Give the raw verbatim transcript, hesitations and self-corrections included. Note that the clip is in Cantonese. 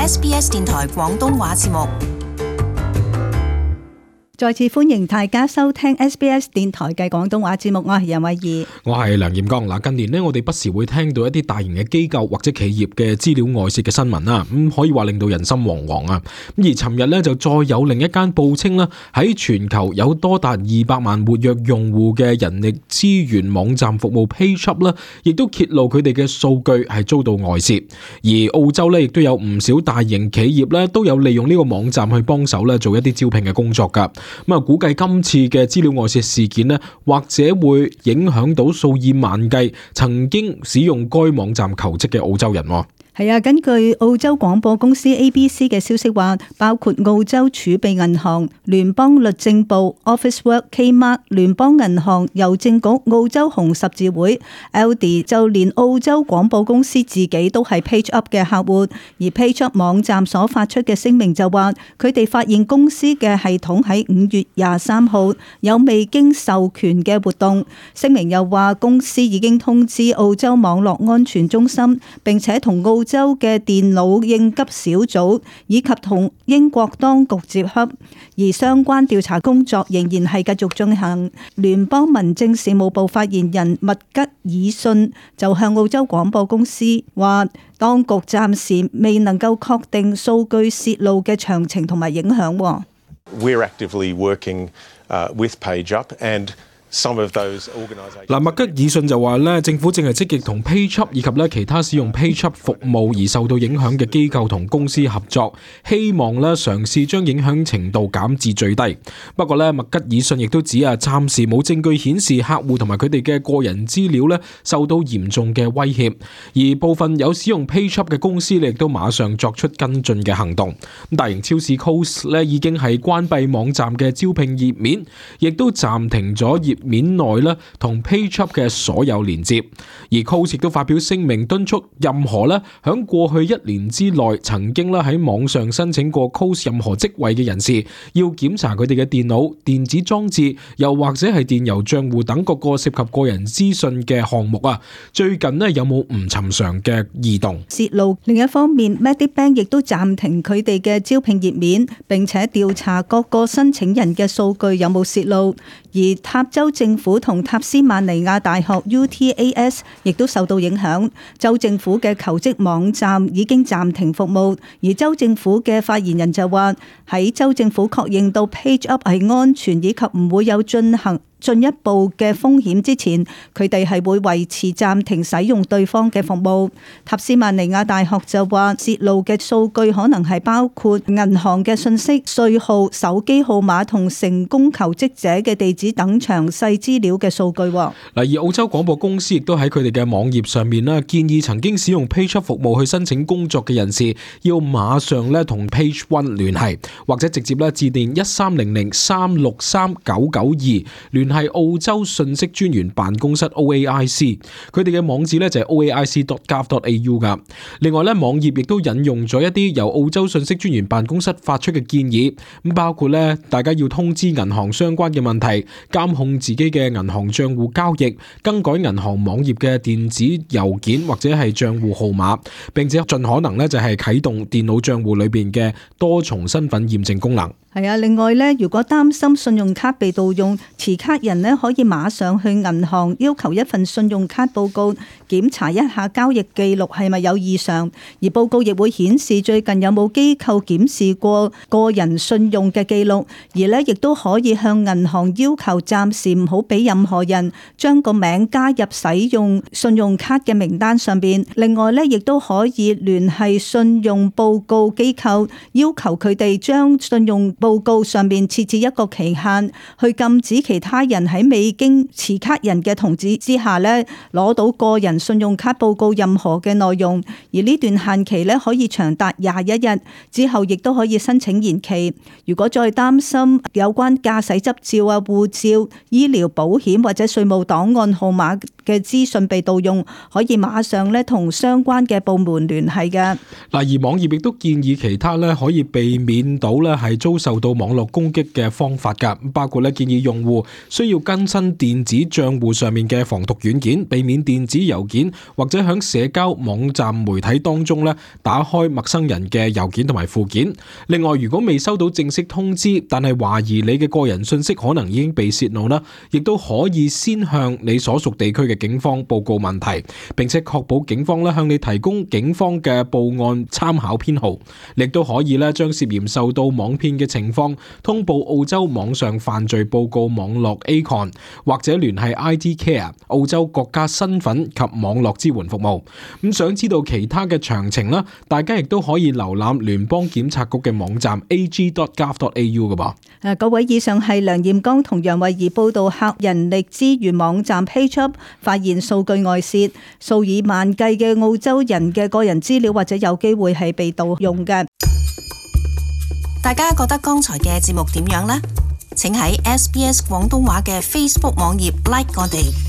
S B S 電台廣東話節目。再次歡迎大家收聽 S B S 電台嘅廣東話節目，我係任慧儀，我係梁彥剛。嗱，近年呢，我哋不時會聽到一啲大型嘅機構或者企業嘅資料外泄嘅新聞啦，咁可以話令到人心惶惶啊。咁而尋日呢，就再有另一間報稱啦，喺全球有多達二百萬活躍用戶嘅人力資源網站服務 PageUp 啦，亦都揭露佢哋嘅數據係遭到外泄。而澳洲呢，亦都有唔少大型企業呢，都有利用呢個網站去幫手咧做一啲招聘嘅工作噶。咁啊，估計今次嘅資料外泄事件呢，或者會影響到數以萬計曾經使用該網站求職嘅澳洲人。係啊，根據澳洲廣播公司 A B C 嘅消息話，包括澳洲儲備銀行、聯邦律政部、Officeworks、Kmart、聯邦銀行、郵政局、澳洲紅十字會、L D， 就連澳洲廣播公司自己都係 PageUp 嘅客戶。而 PageUp 網站所發出嘅聲明就話，佢哋發現公司嘅系統喺五月廿三號有未經授權嘅活動。聲明又話，公司已經通知澳洲網絡安全中心，並且同澳州嘅電腦應急小組以及同英國當局接洽，而相關調查工作仍然係繼續進行。聯邦民政事務部發言人麥吉爾遜就向澳洲廣播公司話，當局暫時未能夠確定數據泄露嘅詳情同埋影響。We're actively working uh, with PageUp and嗱，麥吉爾遜就話咧，政府正係積極同 PageUp 以及咧其他使用 PageUp 服務而受到影響嘅機構同公司合作，希望咧嘗試將影響程度減至最低。不過咧，麥吉爾遜亦都指啊，暫時冇證據顯示客戶同埋佢哋嘅個人資料咧受到嚴重嘅威脅，而部分有使用 PageUp 嘅公司亦都馬上作出跟進嘅行動。咁大型超市 Coles 咧已經係關閉網站嘅招聘頁面，亦都暫停咗頁面內咧同 PageUp 嘅所有連接，而 Coles 亦都發表聲明敦促任何咧響過去一年之內曾經咧喺網上申請過 Coles 任何職位嘅人士，要檢查佢哋嘅電腦、電子裝置，又或者係電郵賬戶等各個涉及個人資訊嘅項目啊。最近咧有冇唔尋常嘅異動泄露？另一方面 Medibank 亦都暫停佢哋嘅招聘頁面，並且調查各個申請人嘅數據有冇泄露。而塔州政府同塔斯曼尼亞大學 U T A S 亦都受到影響，州政府嘅求職網站已經暫停服務，而州政府嘅發言人就話，喺州政府確認到 PageUp 係安全以及唔會有進行進一步嘅風險之前，佢哋係會維持暫停使用對方嘅服務。塔斯曼尼亞大學就話，泄露嘅數據可能係包括銀行嘅信息、稅號、手機號碼同成功求職者嘅地址等詳細資料嘅數據。嗱，而澳洲廣播公司亦都喺佢哋嘅網頁上面啦，建議曾經使用 PageUp 服務去申請工作嘅人士，要馬上咧同 Page One 聯繫，或者直接咧致電一三零零三六三九九二聯繫係澳洲信息專員辦公室 O A I C， 佢哋嘅網址咧就係 o a i c dot gov dot a u 噶。另外咧，網頁亦都引用咗一啲由澳洲信息專員辦公室發出嘅建議，咁包括咧大家要通知銀行相關嘅問題，監控自己嘅銀行賬戶交易，更改銀行網頁嘅電子郵件或者係賬戶號碼，並且盡可能咧就係啟動電腦賬戶裏邊嘅多重身份驗證功能。係啊，另外咧，如果擔心信用卡被盜用，持卡人咧可以馬上去銀行要求一份信用卡報告，檢查一下交易記錄係咪有異常，而報告亦會顯示最近有冇機構檢視過個人信用嘅記錄，而咧亦都可以向銀行要求暫時唔好俾任何人將個名加入使用信用卡嘅名單上邊。另外咧，亦都可以聯繫信用報告機構，要求佢哋將信用報告上面設置一個期限，去禁止其他人喺未經持卡人嘅同意之下咧攞到個人信用卡報告任何嘅內容。而呢段限期咧可以長達廿一日，之後亦都可以申請延期。如果再擔心有關駕駛執照啊、護照、醫療保險或者稅務檔案號碼嘅資訊被盜用，可以馬上咧同相關嘅部門聯繫嘅。嗱，而網頁亦都建議其他咧可以避免到咧係遭受受到網絡攻擊嘅方法㗎，包括咧建議用戶需要更新電子賬戶上面嘅防毒軟件，避免電子郵件或者響社交網站媒體當中咧打開陌生人嘅郵件同埋附件。另外，如果未收到正式通知，但係懷疑你嘅個人信息可能已經被泄露啦，亦都可以先向你所屬地區嘅警方報告問題，並且確保警方咧向你提供警方嘅報案參考編號。亦都可以咧將涉嫌受到網騙嘅情況通報澳洲網上犯罪報告網絡 A C O N， 或者聯繫 I T Care 澳洲國家身份及網絡支援服務。咁想知道其他嘅詳情啦，大家亦都可以瀏覽聯邦檢察局嘅網站 a g dot gov dot a u 嘅噃。誒，各位，以上係梁艷剛同楊慧儀報道，客人力資源網站 PageUp 發現數據外泄，數以萬計嘅澳洲人嘅個人資料或者有機會係被盜用嘅。大家覺得剛才嘅節目點樣呢？請喺 S B S 廣東話嘅 Facebook 網頁 like 我哋。